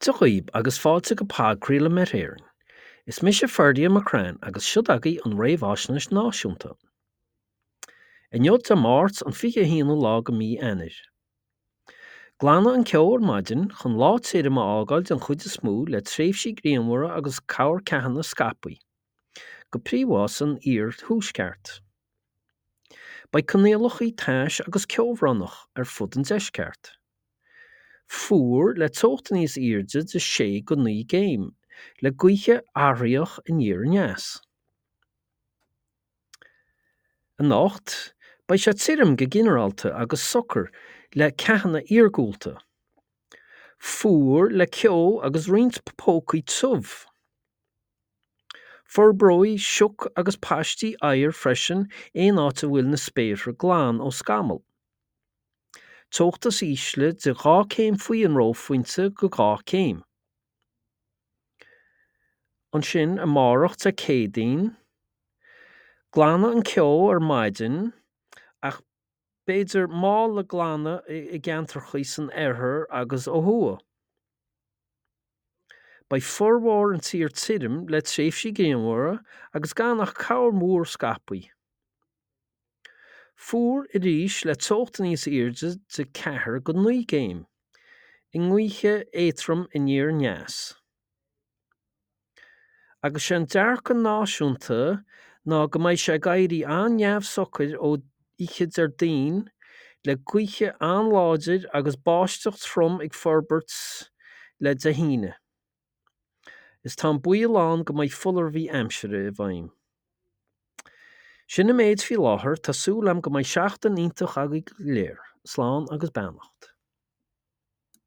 Dia dhaoib agus fáilte go podchraoladh Met Éireann. Is mise Ferdia McCrann agus siod agaibh an Réamhaisnéis Náisiúnta. Inniu Dé Máirt an 21ú lá go mí Eanáir. Glanfaidh an ceo ar maidin chun lá tirim a fhágáil den chuid is mó le tréimhsí grianmhara agus corrcheathanna scaipthe, go príomha san iar-thuaisceart. Beidh coinníollacha tais agus ceobhránach ar fud an deisceart. Fuar le teocht níos airde de 6 go 9 gcéim, le gaotha athraitheach aniar aneas. Anocht, beidh sé tirim go ginearálta agus socair le ceathanna iargúlta. Fuar le ceo agus roinnt pócaí tiubh. Forbróidh sioc agus paistí oighir freisin aon áit a bhfuil na spéartha glan ó scamaill. Teocht is ísle de 2 céim faoi an reophointe go 2 céim. Ansin amárach Dé Céadaoin, glanfaidh an ceo ar maidin ach b'fhéidir mall le glanadh i gceantracha san oirthear agus ó thuaidh. Beidh formhór an tír tirim le tréimhsí grianmhara agus gan ach corrmhúr scaipthe. Fuar arís le teocht níos airde de 4 go 9 gcéim, i ngaotha éadtrom aniar aneas. Agus sé an dearcadh náisiúnta ná go mbeidh sé ag éirí an-neamhshocair ó oíche Déardaoin le gaotha an-láidir agus báisteach trom ag forbairt le Dé hAoine. Is tá an baol ann go mbeidh foláirimh aimsire i bhfeidhm. Sin an méid faoi láthair, tá súil agam go mbeidh seachtain iontach agaibh go léir. Slán agus beannacht.